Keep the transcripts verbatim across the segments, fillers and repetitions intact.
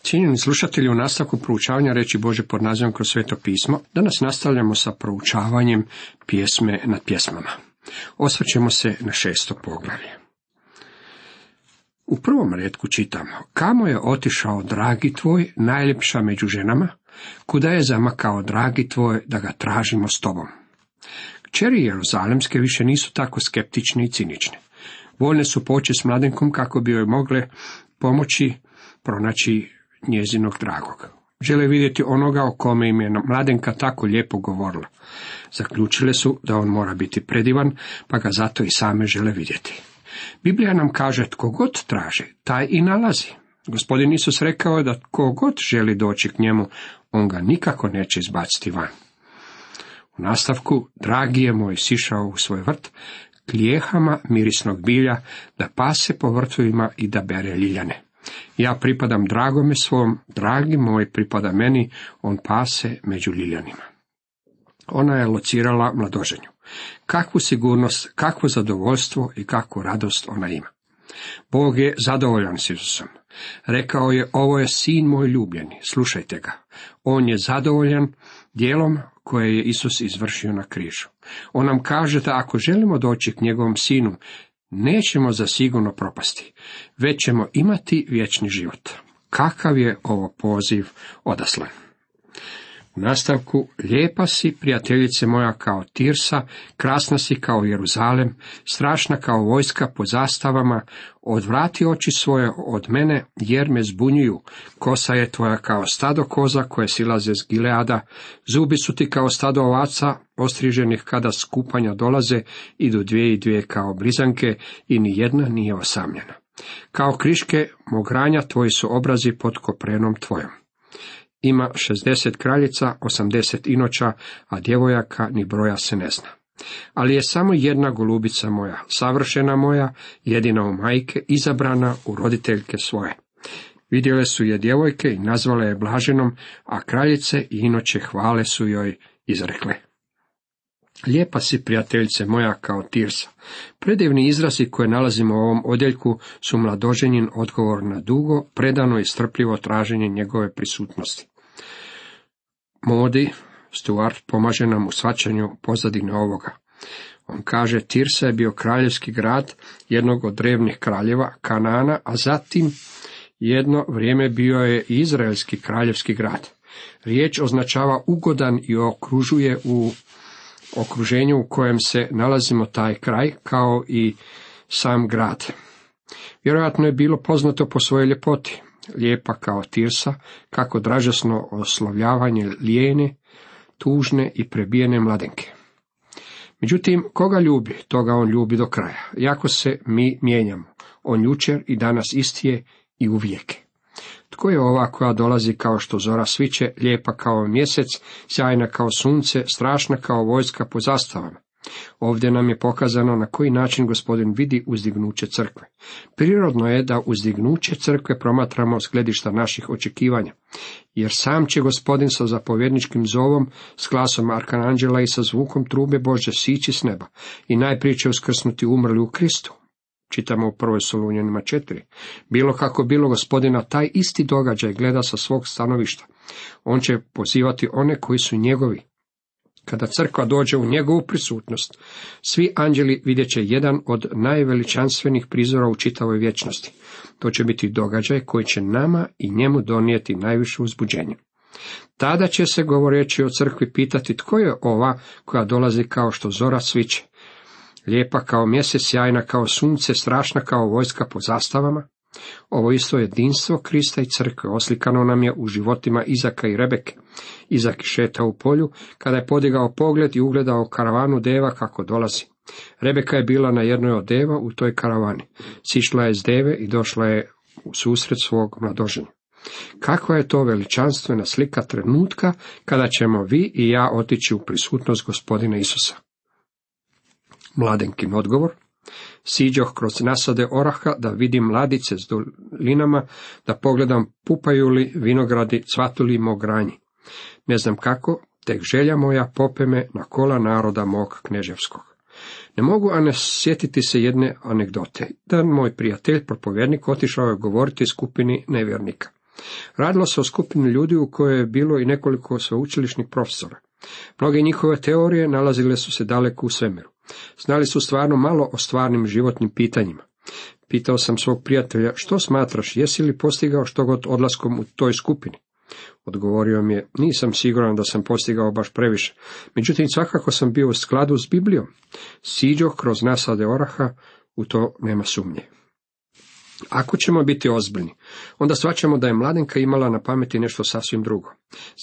Cijenjeni slušatelji, u nastavku proučavanja riječi Božje pod nazivom Kroz sveto pismo, danas nastavljamo sa proučavanjem pjesme nad pjesmama. Osvrćemo se na šesto poglavlje. U prvom retku čitamo: Kamo je otišao dragi tvoj, najljepša među ženama, kuda je zamakao dragi tvoj, da ga tražimo s tobom. Kćeri Jeruzalemske više nisu tako skeptične i cinične. Voljne su poći s mladenkom kako bi joj mogle pomoći pronaći njezinog dragog. Žele vidjeti onoga o kome im je mladenka tako lijepo govorila. Zaključile su da on mora biti predivan, pa ga zato i same žele vidjeti. Biblija nam kaže: tko god traži, taj i nalazi. Gospodin Isus rekao je da tko god želi doći k njemu, on ga nikako neće izbaciti van. U nastavku: dragi je moj sišao u svoj vrt, k lijehama mirisnog bilja, da pase po vrtovima i da bere ljiljane. Ja pripadam dragome svom, dragi moj pripada meni, on pase među ljiljanima. Ona je locirala mladoženju. Kakvu sigurnost, kakvo zadovoljstvo i kakvu radost ona ima. Bog je zadovoljan s Isusom. Rekao je: ovo je sin moj ljubljeni, slušajte ga. On je zadovoljan djelom koje je Isus izvršio na križu. On nam kaže da ako želimo doći k njegovom sinu, nećemo zasigurno propasti, već ćemo imati vječni život. Kakav je ovo poziv odaslan? U nastavku: lijepa si, prijateljice moja, kao Tirsa, krasna si kao Jeruzalem, strašna kao vojska po zastavama, odvrati oči svoje od mene, jer me zbunjuju. Kosa je tvoja kao stado koza koje silaze s Gileada, zubi su ti kao stado ovaca, ostriženih kada s kupanja dolaze, idu dvije i dvije kao blizanke i ni jedna nije osamljena. Kao kriške mogranja tvoji su obrazi pod koprenom tvojom. Ima šezdeset kraljica, osamdeset inoća, a djevojaka ni broja se ne zna. Ali je samo jedna golubica moja, savršena moja, jedina u majke, izabrana u roditeljke svoje. Vidjele su je djevojke i nazvale je blaženom, a kraljice i inoće hvale su joj izrekle. Lijepa si, prijateljice moja, kao Tirsa. Predivni izrazi koje nalazimo u ovom odjeljku su mladoženin odgovor na dugo, predano i strpljivo traženje njegove prisutnosti. Modi Stuart pomaže nam u shvaćanju pozadine ovoga. On kaže: Tirsa je bio kraljevski grad jednog od drevnih kraljeva Kanaana, a zatim jedno vrijeme bio je i izraelski kraljevski grad. Riječ označava ugodan i okružuje u okruženju u kojem se nalazimo taj kraj, kao i sam grad. Vjerojatno je bilo poznato po svojoj ljepoti, lijepa kao Tirsa, kako dražesno oslovljavanje lijene, tužne i prebijene mladenke. Međutim, koga ljubi, toga on ljubi do kraja. Jako se mi mijenjamo, on jučer i danas isti je i uvijek. Tko je ova koja dolazi kao što zora sviće, lijepa kao mjesec, sjajna kao sunce, strašna kao vojska po zastavama? Ovdje nam je pokazano na koji način Gospodin vidi uzdignuće crkve. Prirodno je da uzdignuće crkve promatramo s gledišta naših očekivanja, jer sam će Gospodin sa zapovjedničkim zovom, s glasom arkanđela i sa zvukom trube Božje sići s neba i najprije će uskrsnuti umrli u Kristu. Čitamo u prvoj Solunjanima četiri. Bilo kako bilo, Gospodina taj isti događaj gleda sa svog stanovišta. On će pozivati one koji su njegovi. Kada crkva dođe u njegovu prisutnost, svi anđeli vidjet će jedan od najveličanstvenih prizora u čitavoj vječnosti. To će biti događaj koji će nama i njemu donijeti najviše uzbuđenje. Tada će se, govoreći o crkvi, pitati: tko je ova koja dolazi kao što zora sviće, lijepa kao mjesec, sjajna kao sunce, strašna kao vojska po zastavama? Ovo isto jedinstvo Krista i crkve oslikano nam je u životima Izaka i Rebeke. Izak šeta u polju, kada je podigao pogled i ugledao karavanu deva kako dolazi. Rebeka je bila na jednoj od deva u toj karavani. Sišla je s deve i došla je u susret svog mladoženja. Kakva je to veličanstvena slika trenutka kada ćemo vi i ja otići u prisutnost Gospodina Isusa. Mladenkin odgovor: siđoh kroz nasade oraha da vidim mladice s dolinama, da pogledam pupaju li vinogradi, cvatu li mogranji. Ne znam kako, tek želja moja pope me na kola naroda mog kneževskog. Ne mogu, a ne sjetiti se jedne anegdote. Dan moj prijatelj, propovjednik, otišao je govoriti skupini nevjernika. Radilo se o skupini ljudi u kojoj je bilo i nekoliko sveučilišnih profesora. Mnoge njihove teorije nalazile su se daleko u svemiru. Znali su stvarno malo o stvarnim životnim pitanjima. Pitao sam svog prijatelja, što smatraš, jesi li postigao što god odlaskom u toj skupini? Odgovorio mi je, nisam siguran da sam postigao baš previše, međutim svakako sam bio u skladu s Biblijom. Siđoh kroz nasade oraha, u to nema sumnje. Ako ćemo biti ozbiljni, onda shvaćamo da je Mladenka imala na pameti nešto sasvim drugo.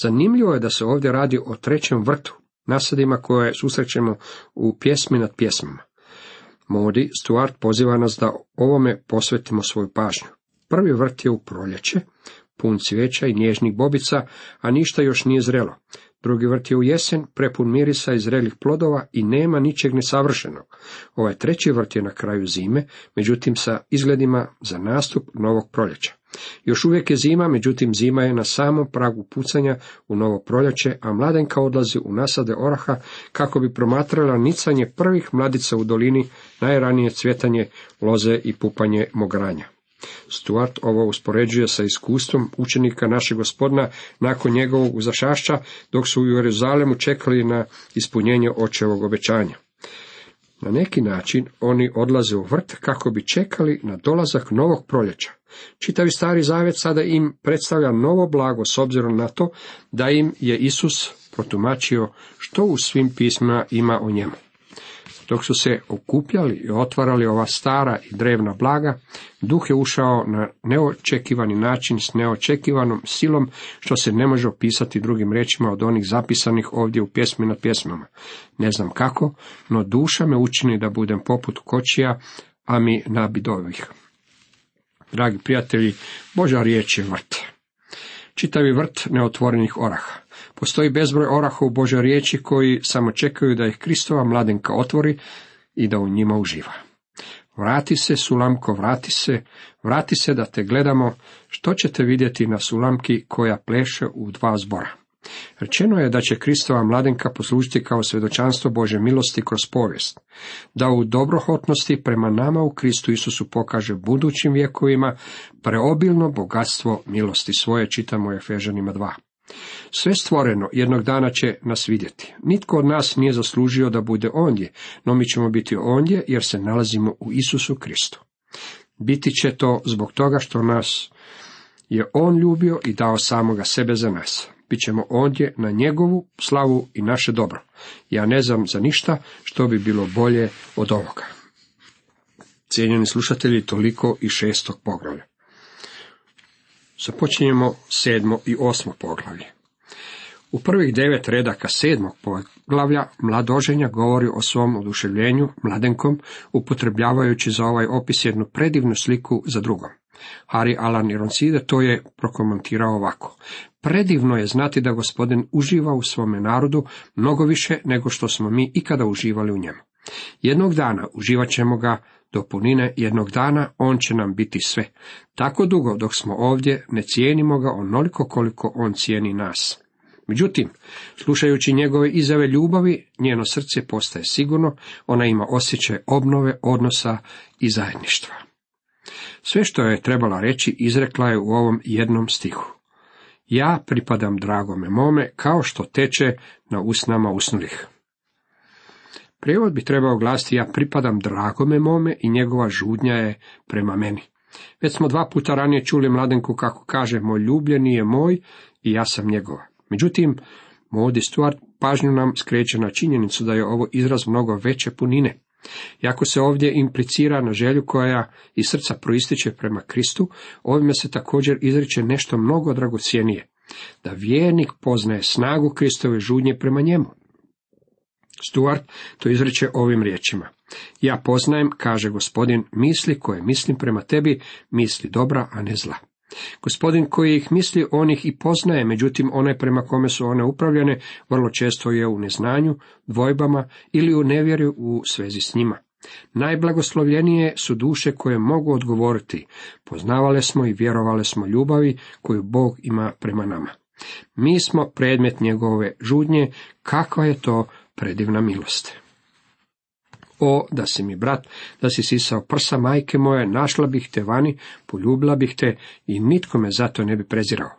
Zanimljivo je da se ovdje radi o trećem vrtu, nasadima koje susrećemo u pjesmi nad pjesmama. Maudie Stuart poziva nas da ovome posvetimo svoju pažnju. Prvi vrt je u proljeće, pun cvijeća i nježnih bobica, a ništa još nije zrelo. Drugi vrt je u jesen, prepun mirisa i zrelih plodova i nema ničeg nesavršenog. Ovaj treći vrt je na kraju zime, međutim sa izgledima za nastup novog proljeća. Još uvijek je zima, međutim zima je na samom pragu pucanja u novo proljeće, a Mladenka odlazi u nasade oraha kako bi promatrala nicanje prvih mladica u dolini, najranije cvjetanje loze i pupanje mogranja. Stuart ovo uspoređuje sa iskustvom učenika našeg Gospodina nakon njegovog uzašašća, dok su u Jeruzalemu čekali na ispunjenje očevog obećanja. Na neki način oni odlaze u vrt kako bi čekali na dolazak novog proljeća. Čitavi Stari Zavjet sada im predstavlja novo blago s obzirom na to da im je Isus protumačio što u svim pismima ima o njemu. Dok su se okupljali i otvarali ova stara i drevna blaga, duh je ušao na neočekivani način s neočekivanom silom, što se ne može opisati drugim riječima od onih zapisanih ovdje u pjesmi nad pjesmama. Ne znam kako, no duša me učini da budem poput kočija, a mi nabidovih. Dragi prijatelji, Božja riječ je vrt. Čitavi vrt neotvorenih oraha. Postoji bezbroj oraha u Božoj riječi koji samo čekaju da ih Kristova Mladenka otvori i da u njima uživa. Vrati se, Sulamko, vrati se, vrati se da te gledamo, što ćete vidjeti na Sulamki koja pleše u dva zbora. Rečeno je da će Kristova Mladenka poslužiti kao svjedočanstvo Božje milosti kroz povijest, da u dobrohotnosti prema nama u Kristu Isusu pokaže budućim vjekovima preobilno bogatstvo milosti svoje, čitamo u Efežanima dva. Sve stvoreno jednog dana će nas vidjeti. Nitko od nas nije zaslužio da bude ondje, no mi ćemo biti ondje jer se nalazimo u Isusu Kristu. Biti će to zbog toga što nas je On ljubio i dao samoga sebe za nas. Bićemo ondje na njegovu slavu i naše dobro. Ja ne znam za ništa što bi bilo bolje od ovoga. Cijenjeni slušatelji, toliko i šestog poglavlja. Započinjemo sedmo i osmo poglavlje. U prvih devet redaka sedmog poglavlja mladoženja govori o svom oduševljenju mladenkom, upotrebljavajući za ovaj opis jednu predivnu sliku za drugom. Harry Alan Ironside to je prokomentirao ovako. Predivno je znati da Gospodin uživa u svome narodu mnogo više nego što smo mi ikada uživali u njemu. Jednog dana uživat ćemo ga do punine, jednog dana on će nam biti sve. Tako dugo dok smo ovdje ne cijenimo ga onoliko koliko on cijeni nas. Međutim, slušajući njegove izjave ljubavi, njeno srce postaje sigurno, ona ima osjećaj obnove, odnosa i zajedništva. Sve što je trebala reći izrekla je u ovom jednom stihu. Ja pripadam dragome mome kao što teče na usnama usnulih. Prijevod bi trebao glasiti ja pripadam dragome mome i njegova žudnja je prema meni. Već smo dva puta ranije čuli Mladenku kako kaže moj ljubljeni je moj i ja sam njegova. Međutim, Maudie Stuart pažnju nam skreće na činjenicu da je ovo izraz mnogo veće punine. Iako se ovdje implicira na želju koja iz srca proističe prema Kristu, ovime se također izriče nešto mnogo dragocjenije, da vjernik poznaje snagu Kristove žudnje prema njemu. Stuart to izriče ovim riječima. Ja poznajem, kaže Gospodin, misli koje mislim prema tebi, misli dobra, a ne zla. Gospodin koji ih misli, on ih i poznaje, međutim onaj prema kome su one upravljene, vrlo često je u neznanju, dvojbama ili u nevjeri u svezi s njima. Najblagoslovljenije su duše koje mogu odgovoriti, poznavale smo i vjerovale smo ljubavi koju Bog ima prema nama. Mi smo predmet njegove žudnje, kakva je to predivna milost. O, da si mi brat, da si sisao prsa majke moje, našla bih te vani, poljubila bih te i nitko me zato ne bi prezirao.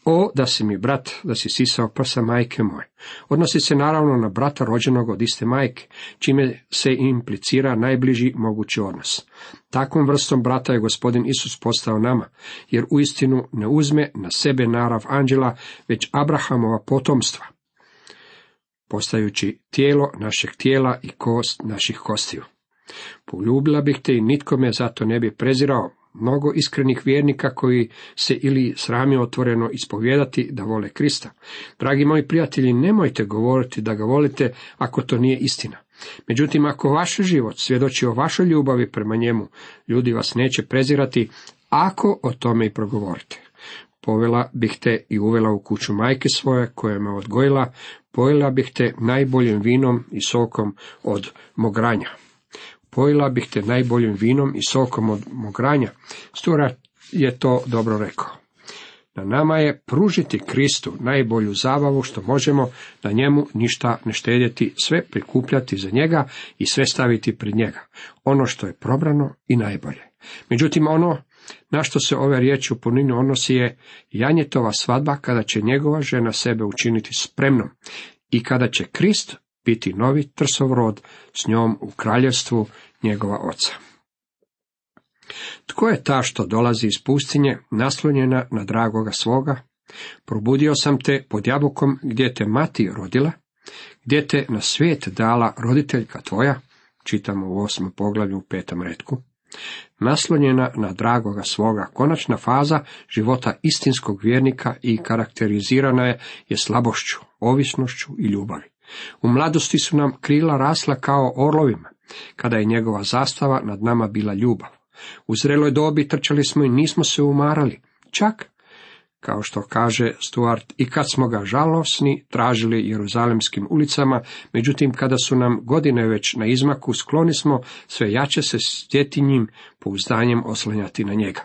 O, da si mi brat, da si sisao prsa majke moje. Odnosi se naravno na brata rođenog od iste majke, čime se implicira najbliži mogući odnos. Takvom vrstom brata je Gospodin Isus postao nama, jer uistinu ne uzme na sebe narav anđela, već Abrahamova potomstva, postajući tijelo našeg tijela i kost naših kostiju. Poljubila bih te i nitko me zato ne bi prezirao. Mnogo iskrenih vjernika koji se ili srami otvoreno ispovijedati da vole Krista. Dragi moji prijatelji, nemojte govoriti da ga volite ako to nije istina. Međutim, ako vaš život svjedoči o vašoj ljubavi prema njemu, ljudi vas neće prezirati ako o tome i progovorite. Povela bih te i uvela u kuću majke svoje koja me odgojila, pojela bih te najboljim vinom i sokom od mogranja. Pojela bih te najboljim vinom i sokom od mogranja. Stuart je to dobro rekao. Na nama je pružiti Kristu najbolju zabavu što možemo, na njemu ništa ne štedjeti, sve prikupljati za njega i sve staviti pred njega. Ono što je probrano i najbolje. Međutim, ono na što se ove riječi u punini odnosi je janjetova svadba, kada će njegova žena sebe učiniti spremnom i kada će Krist biti novi trsov rod s njom u kraljevstvu njegova oca. Tko je ta što dolazi iz pustinje, naslonjena na dragoga svoga? Probudio sam te pod jabukom gdje te mati rodila, gdje te na svijet dala roditeljka tvoja, čitamo u osmom poglavlju u petom retku. Naslonjena na dragoga svoga, konačna faza života istinskog vjernika i karakterizirana je, je slabošću, ovisnošću i ljubavi. U mladosti su nam krila rasla kao orlovima, kada je njegova zastava nad nama bila ljubav. U zreloj dobi trčali smo i nismo se umarali, čak, kao što kaže Stuart, i kad smo ga žalosni tražili jeruzalemskim ulicama, međutim kada su nam godine već na izmaku, skloni smo sve jače se s djetinjim pouzdanjem oslanjati na njega.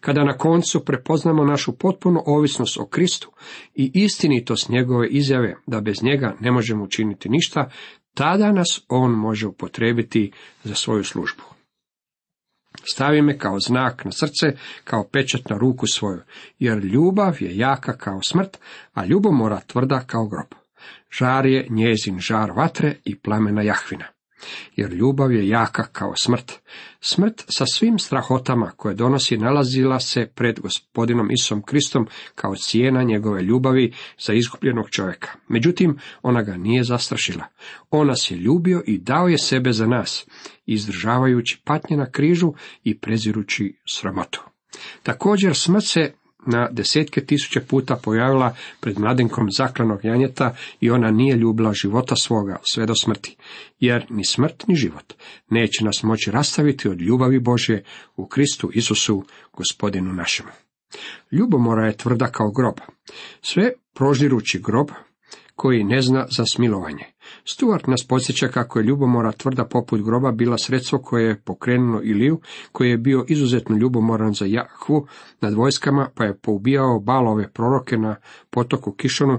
Kada na koncu prepoznamo našu potpunu ovisnost o Kristu i istinitost njegove izjave da bez njega ne možemo učiniti ništa, tada nas on može upotrijebiti za svoju službu. Stavi me kao znak na srce, kao pečat na ruku svoju, jer ljubav je jaka kao smrt, a ljubomora tvrda kao grob. Žar je njezin žar vatre i plamena Jahvina. Jer ljubav je jaka kao smrt. Smrt sa svim strahotama koje donosi nalazila se pred Gospodinom Isusom Kristom kao cijena njegove ljubavi za izgubljenog čovjeka. Međutim, ona ga nije zastrašila. On nas je ljubio i dao je sebe za nas, izdržavajući patnje na križu i prezirući sramotu. Također smrt se na desetke tisuće puta pojavila pred mladenkom zaklanog janjeta i ona nije ljubila života svoga sve do smrti, jer ni smrt ni život neće nas moći rastaviti od ljubavi Božje u Kristu Isusu, Gospodinu našemu. Ljubomora je tvrda kao grob, sve prožirući grob koji ne zna za smilovanje. Stuart nas podsjeća kako je ljubomora tvrda poput groba bila sredstvo koje je pokrenulo Iliju, koji je bio izuzetno ljubomoran za Jahvu nad vojskama, pa je poubijao Balove proroke na potoku Kišonu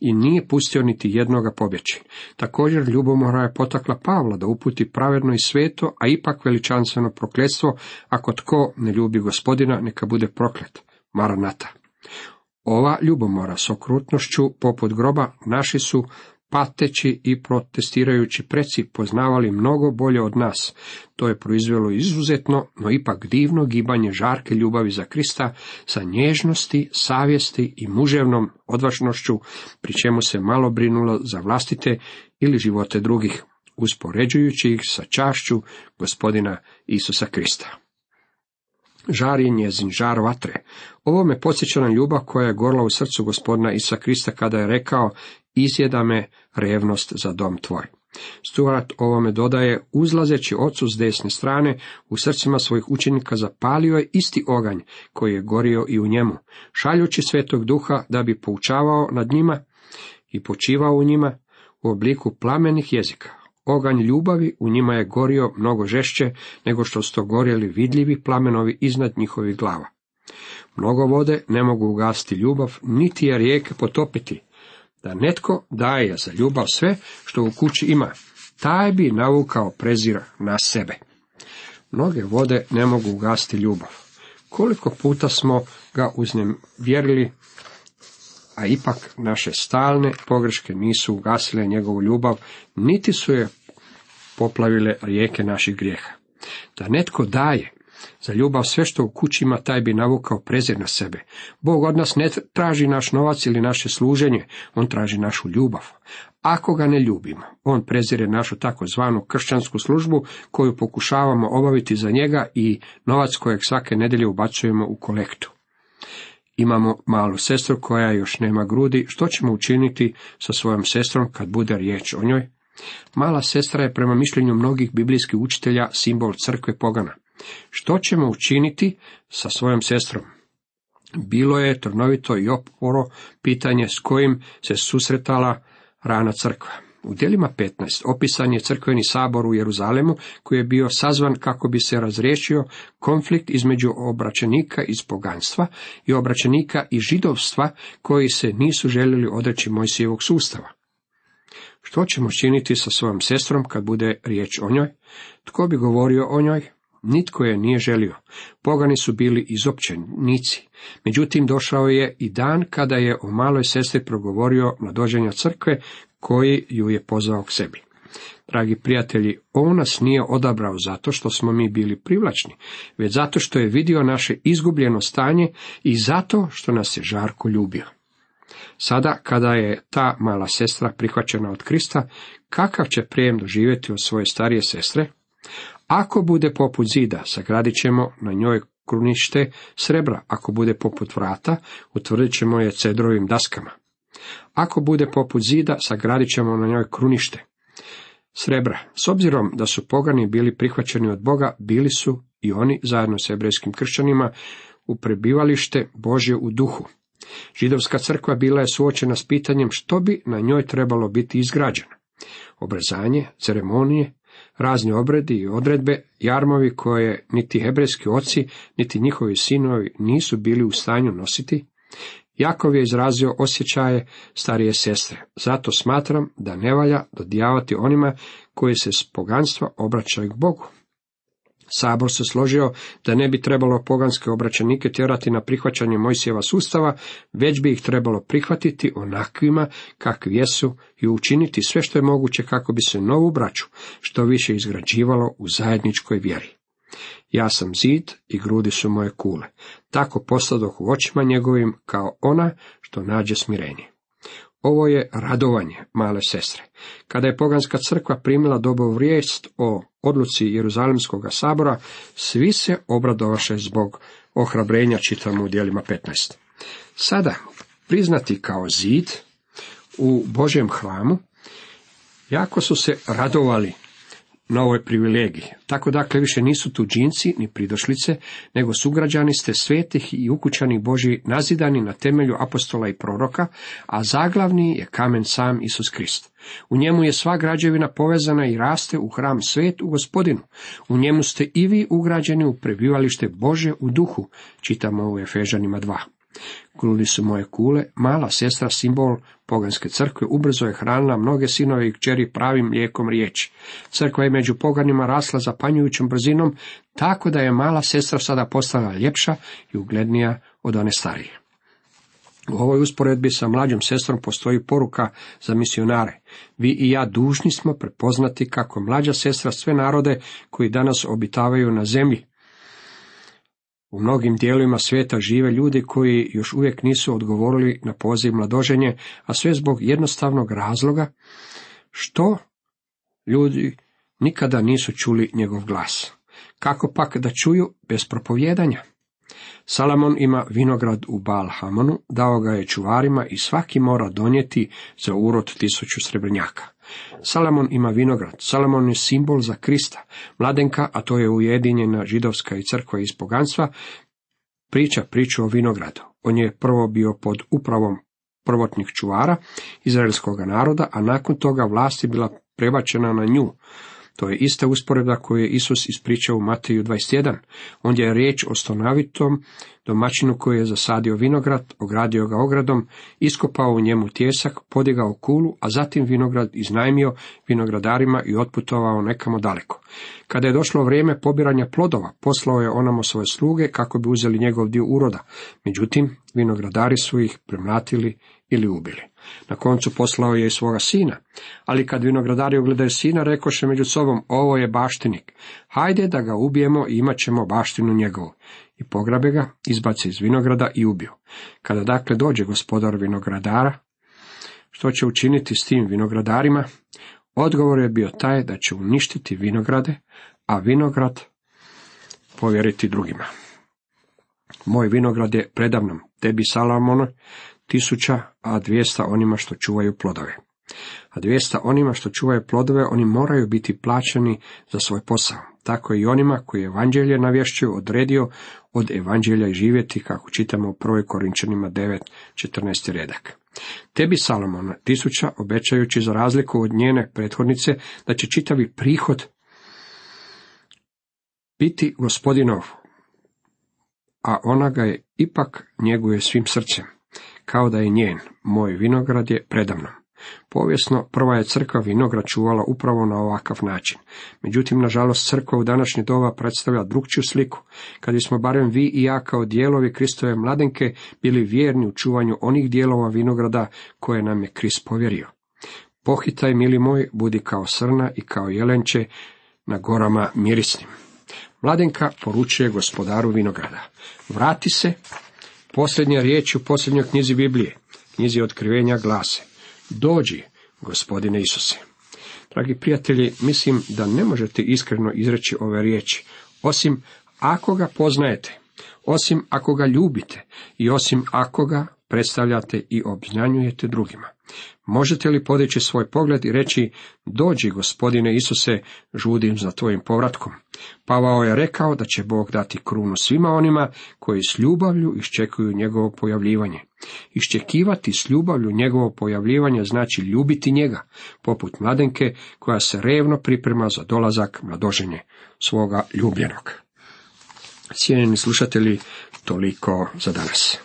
i nije pustio niti jednoga pobjeći. Također ljubomora je potakla Pavla da uputi pravedno i sveto, a ipak veličanstveno prokletstvo, ako tko ne ljubi Gospodina, neka bude proklet. Maranata. Ova ljubomora s okrutnošću poput groba naši su pateći i protestirajući preci poznavali mnogo bolje od nas. To je proizvelo izuzetno, no ipak divno gibanje žarke ljubavi za Krista sa nježnosti, savjesti i muževnom odvažnošću, pri čemu se malo brinulo za vlastite ili živote drugih, uspoređujući ih sa čašću Gospodina Isusa Krista. Žar je njezin žar vatre. Ovo me podsjeća na ljubav koja je gorla u srcu Gospodina Isusa Krista kada je rekao: izjeda me revnost za dom tvoj. Stuart ovome dodaje: uzlazeći ocu s desne strane, u srcima svojih učenika zapalio je isti oganj koji je gorio i u njemu, šaljući Svetog Duha da bi poučavao nad njima i počivao u njima u obliku plamenih jezika. Oganj ljubavi u njima je gorio mnogo žešće nego što su to gorjeli vidljivi plamenovi iznad njihovih glava. Mnogo vode ne mogu ugasiti ljubav, niti je rijeke potopiti. Da netko daje za ljubav sve što u kući ima, taj bi navukao prezir na sebe. Mnoge vode ne mogu ugasiti ljubav. Koliko puta smo ga uznevjerili, a ipak naše stalne pogreške nisu ugasile njegovu ljubav, niti su je poplavile rijeke naših grijeha. Da netko daje za ljubav sve što u kući ima, taj bi navukao prezir na sebe. Bog od nas ne traži naš novac ili naše služenje, on traži našu ljubav. Ako ga ne ljubimo, on prezire našu takozvanu kršćansku službu koju pokušavamo obaviti za njega i novac kojeg svake nedjelje ubacujemo u kolektu. Imamo malu sestru koja još nema grudi, što ćemo učiniti sa svojom sestrom kad bude riječ o njoj? Mala sestra je prema mišljenju mnogih biblijskih učitelja simbol crkve pogana. Što ćemo učiniti sa svojom sestrom? Bilo je trnovito i oporo pitanje s kojim se susretala rana crkva. U djelima petnaest opisan je crkveni sabor u Jeruzalemu koji je bio sazvan kako bi se razriješio konflikt između obraćenika iz poganstva i obraćenika iz židovstva koji se nisu željeli odreći Mojsijevog sustava. Što ćemo činiti sa svojom sestrom kad bude riječ o njoj? Tko bi govorio o njoj? Nitko je nije želio. Pogani su bili izopćenici. Međutim, došao je i dan kada je o maloj sestri progovorio mladoženja crkve koji ju je pozvao k sebi. Dragi prijatelji, on nas nije odabrao zato što smo mi bili privlačni, već zato što je vidio naše izgubljeno stanje i zato što nas je žarko ljubio. Sada, kada je ta mala sestra prihvaćena od Krista, kakav će prijem doživjeti od svoje starije sestre? Ako bude poput zida, sagradit ćemo na njoj krunište srebra, ako bude poput vrata, utvrdit ćemo je cedrovim daskama. Ako bude poput zida, sagradit ćemo na njoj krunište srebra. S obzirom da su pogani bili prihvaćeni od Boga, bili su i oni zajedno s hebrejskim kršćanima u prebivalište Božje u duhu. Židovska crkva bila je suočena s pitanjem što bi na njoj trebalo biti izgrađeno. Obrezanje, ceremonije, razni obredi i odredbe, jarmovi koje niti hebrejski oci, niti njihovi sinovi nisu bili u stanju nositi. Jakov je izrazio osjećaje starije sestre, zato smatram da ne valja dodijavati onima koji se s poganstva obraćaju k Bogu. Sabor se složio da ne bi trebalo poganske obraćanike tjerati na prihvaćanje Mojsijeva sustava, već bi ih trebalo prihvatiti onakvima kakvi jesu i učiniti sve što je moguće kako bi se novu braću što više izgrađivalo u zajedničkoj vjeri. Ja sam zid i grudi su moje kule, tako postadoh u očima njegovim kao ona što nađe smirenje. Ovo je radovanje male sestre. Kada je poganska crkva primila dobovu vijest o odluci Jeruzalemskog sabora, svi se obradovaše zbog ohrabrenja, čitamo u djelima petnaest. Sada, priznati kao zid u Božjem hramu, jako su se radovali na ovoj privilegiji. Tako dakle više nisu tuđinci ni pridošlice, nego sugrađani ste svetih i ukućanih Božji, nazidani na temelju apostola i proroka, a zaglavni je kamen sam Isus Krist. U njemu je sva građevina povezana i raste u hram svet u Gospodinu. U njemu ste i vi ugrađeni u prebivalište Božje u duhu, čitamo u Efežanima dva. Grudi su moje kule, mala sestra, simbol poganske crkve, ubrzo je hranila mnoge sinove i kćeri pravim mlijekom riječi. Crkva je među poganima rasla zapanjujućom brzinom, tako da je mala sestra sada postala ljepša i uglednija od one starije. U ovoj usporedbi sa mlađom sestrom postoji poruka za misionare. Vi i ja dužni smo prepoznati kako mlađa sestra sve narode koji danas obitavaju na zemlji. U mnogim dijelovima svijeta žive ljudi koji još uvijek nisu odgovorili na poziv mladoženje, a sve zbog jednostavnog razloga što ljudi nikada nisu čuli njegov glas. Kako pak da čuju bez propovijedanja? Salomon ima vinograd u Baal-Hamonu, dao ga je čuvarima i svaki mora donijeti za urod tisuću srebrnjaka. Salomon ima vinograd, Salomon je simbol za Krista. Mladenka, a to je ujedinjena židovska i crkva iz poganstva, priča priču o vinogradu. On je prvo bio pod upravom prvotnih čuvara izraelskog naroda, a nakon toga vlast je bila prebačena na nju. To je ista usporedba koju je Isus ispričao u Mateju dvadeset jedan. Ondje je riječ o stonavitom domaćinu koji je zasadio vinograd, ogradio ga ogradom, iskopao u njemu tijesak, podigao kulu, a zatim vinograd iznajmio vinogradarima i otputovao nekamo daleko. Kada je došlo vrijeme pobiranja plodova, poslao je onamo svoje sluge kako bi uzeli njegov dio uroda. Međutim, vinogradari su ih premlatili ili ubili. Na koncu poslao je i svoga sina, ali kad vinogradari ugledaju sina, rekoše među sobom, ovo je baštinik, hajde da ga ubijemo i imat ćemo baštinu njegovu. I pograbe ga, izbace iz vinograda i ubiju. Kada dakle dođe gospodar vinogradara, što će učiniti s tim vinogradarima? Odgovor je bio taj da će uništiti vinograde, a vinograd povjeriti drugima. Moj vinograd je predavnom, tebi Salomono, tisuća, a dvijesta onima što čuvaju plodove. A dvijesta onima što čuvaju plodove, oni moraju biti plaćeni za svoj posao. Tako i onima koji evanđelje navješćuju odredio od evanđelja i živjeti, kako čitamo u prvoj Korinčanima devet, četrnaesti redak. Tebi Salomona tisuća, obećajući za razliku od njene prethodnice, da će čitavi prihod biti gospodinov, a ona ga je ipak njeguje svim srcem, kao da je njen, moj vinograd je predamnom. Povijesno, prva je crkva vinograd čuvala upravo na ovakav način. Međutim, nažalost, crkva u današnje doba predstavlja drukčiju sliku. Kad bismo barem vi i ja kao dijelovi Kristove mladenke bili vjerni u čuvanju onih dijelova vinograda koje nam je Krist povjerio. Pohitaj, mili moj, budi kao srna i kao jelenče na gorama mirisnim. Mladenka poručuje gospodaru vinograda. Vrati se, posljednja riječ u posljednjoj knjizi Biblije, knjizi Otkrivenja glase: dođi, gospodine Isuse. Dragi prijatelji, mislim da ne možete iskreno izreći ove riječi, osim ako ga poznajete, osim ako ga ljubite i osim ako ga predstavljate i obznanjujete drugima. Možete li podići svoj pogled i reći: dođi, gospodine Isuse, žudim za tvojim povratkom? Pavao je rekao da će Bog dati krunu svima onima koji s ljubavlju iščekuju njegovo pojavljivanje. Iščekivati s ljubavlju njegovo pojavljivanje znači ljubiti njega, poput mladenke koja se revno priprema za dolazak mladoženje svoga ljubljenog. Cijenjeni slušatelji, toliko za danas.